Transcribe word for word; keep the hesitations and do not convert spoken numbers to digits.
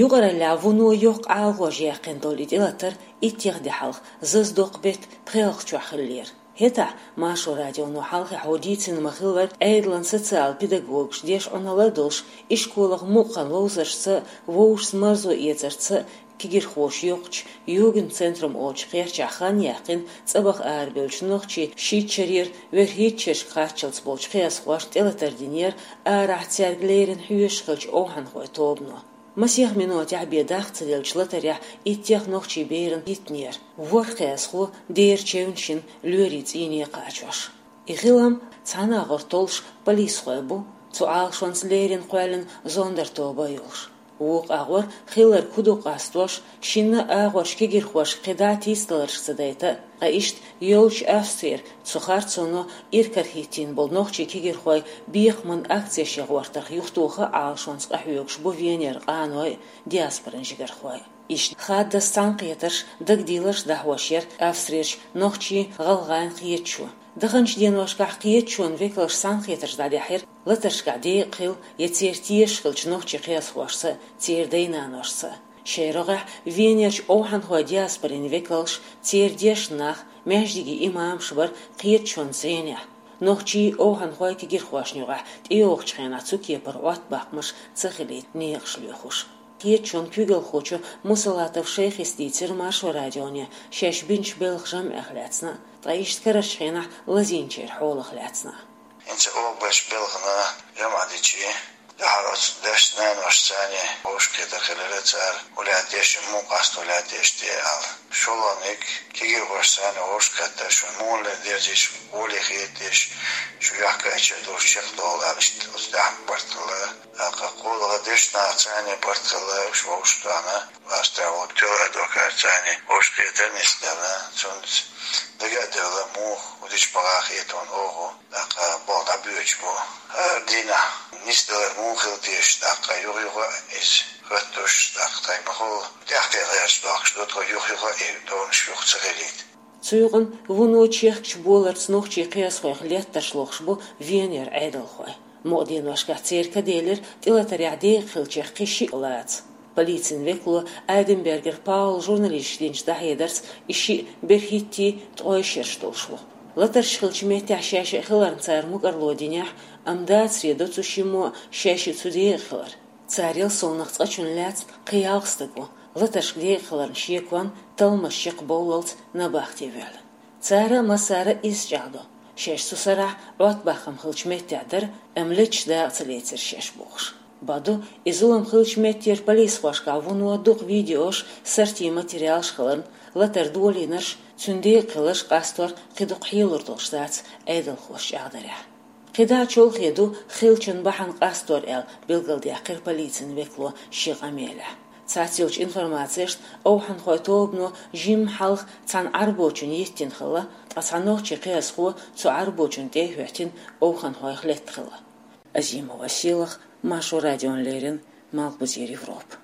Юкъараллехь вуно йоккха Ӏалашонца яьккхина долу и тӀелатар иттех де хьалха зазадоккху беттан пхеалгӀачохь хиллера. ХӀетахь, Маршо радионо хьалхе хьо дийцина ма-хиллара, Ӏедалан социал-педагогаш деш Ӏуналла а долуш, ишколах мукъа хан ловзаршца, вовшашца марзо эцарца кегийрхоша йоккхучу Югенд-центрум олучу кхерчахь хан яьккхина цӀа баха арабевллачу нохчийн шийтта шарера верхӀитта шерашка харцчалц болчу кхиазхошна тӀелатар динера арахь цаьрга леррина хьоьжуш хиллачу овхӀанхойн тобано. Масех минотехь бен даккха ца деллачу латарехь иттех нохчийн берана хӀиттинера, ворхӀ кхиазхо дера чевнаш йина лоьрийн цӀийне кхачош. И хилам цхьана агӀор толлуш полисхой бу, цу Ӏалашонца леррина кхоьллина зондертобан а йолуш. Вукху агӀор хилларг хӀун ду къастош, шинна а агӀор кегийрхошка кхидӀа а тийсадаларш ца дайта а, ткъа иштта йолчу Австрера цу харцоно иракарахӀиттийна болу нохчийн кегийрхой бекхаман акцеш ян гӀортарх юхатоха а Ӏалашонца къахьоьгуш бу Венера къаной а, диаспоран жигархой а. Иштта хаддаза цхьаьнакхетарш, дагадийларш дӀахьош яра Австрерчу нохчийн-гӀалгӀайн кхеташо. Даханчу деношкахь кхеташонан векалша цхьаьнакхетарш дӀадаьхьира латаршкахь декъахь хилла я церан тешаш хиллачу нохчийн кхиазхошца, церан дай-наношца. Шайн рогӀехь Венерчу овхӀанхойн диаспорин векалша, церан дешна нах, маьждиган имамаш бара кхеташонан зӀенехь, нохчийн, овхӀанхойн, кегийрхошна юкъахь тӀейогӀучу хенахь цу кепара Ӏоттабаккхамаш ца хилийта некъаш лоьхуш. Кхеташонан куьйгалхочо Мусалатов Шайхис дийцира Маршо радионе шаьш бинчу белхан жамӀех лаьцна а, ткъа иштта карарчу хенахь лазийначеран хьолах лаьцна а. ХӀинца оха беш белхана жамӀ дичи, тӀаьхьара оцу дешна наношца царна вовшахкхетар хилира, цара хӀун лаьтташ, муха къасто лаьтташ те аьлла. ШолгӀаниг, кегийрхошца царна вовшахкхетар, шуна муха лердерзиш, гӀоле хеташ, шу юьхькӀайча долуш чекхдовла аьлла, иштта оцу тӀехь барт хилла. ТӀаккха кхоалгӀа, дешна нахаца царна барт хилла, уьш вовшахтохна, ласта ву тоьла адвокат царна вовшахкхетар нисделла, цуьнца дага а делла, муха, хӀун дича бакъахь хетон оха. ТӀаккха болх дӀабоьдуш бу. ХӀара дийнахь нисделар муха хила теша, тӀаккха юха-юха а иза хӀоттош, тӀаккха тхайн ма-хуьллу тӀехкхетарш дохкуш ду тхо, юха-юха а и товнаш юха ца хилийта. Цу юкъана вуно чехкачу боларца нохчийн кхиазхойх леттарш лохуш бу Венера Ӏедалхой. Мукъа деношкахь церан ка делира тӀелатарехь декъахь хиллачех кхин шиъ лаца. Полицин векало Айденбергер Паула журналисташка динчу дӀахьедарца, и шиъ берхӀиттий, ткъой шераш долуш ву. Латарш хиллачу меттехь шаьш а хиларна цара мукӀарло динехь, амма дацаре до цу шиммо шаьш а цу декъахь хилар. Царел совнаха цкъачунна лаьцна кхин ялх стаг ву, латаршка декъахь хиларна шеконна, талламаш чекхбовллалц набахте воьллина. Цара массара а иза чӀагӀдо, шаьш цу сарахь Ӏоттабахкам хиллачу меттехь дара, амма леташ дакъа ца лецира шаьш бохуш. Бакъду, и зулам хиллачу меттера полисхошкахь вуно дукха видеош, сортийн материалаш хиларна, латар долийнарш, цуьнан декъахь хиларш къастор кхин дукха хьелур долуш дац Ӏедалхоша чӀагӀдарехь. КхидӀа а чолхе ду хиллачун бахьана къастор аьлла, билгалдаьккхира полицин векало шен къамелехь. Цхьацца йолчу информацешна, овхӀанхойн тобано жимма хьалха цхьана Ӏарбочунна йиттина хилла, ткъа цхьа нохчийн кхиазхо цу Ӏарбочунна тӀе а хӀоьттина, овхӀанхойх летта хилла. Азимова Сийлаха, Маршо радиона леррина, Малхбузера Европа.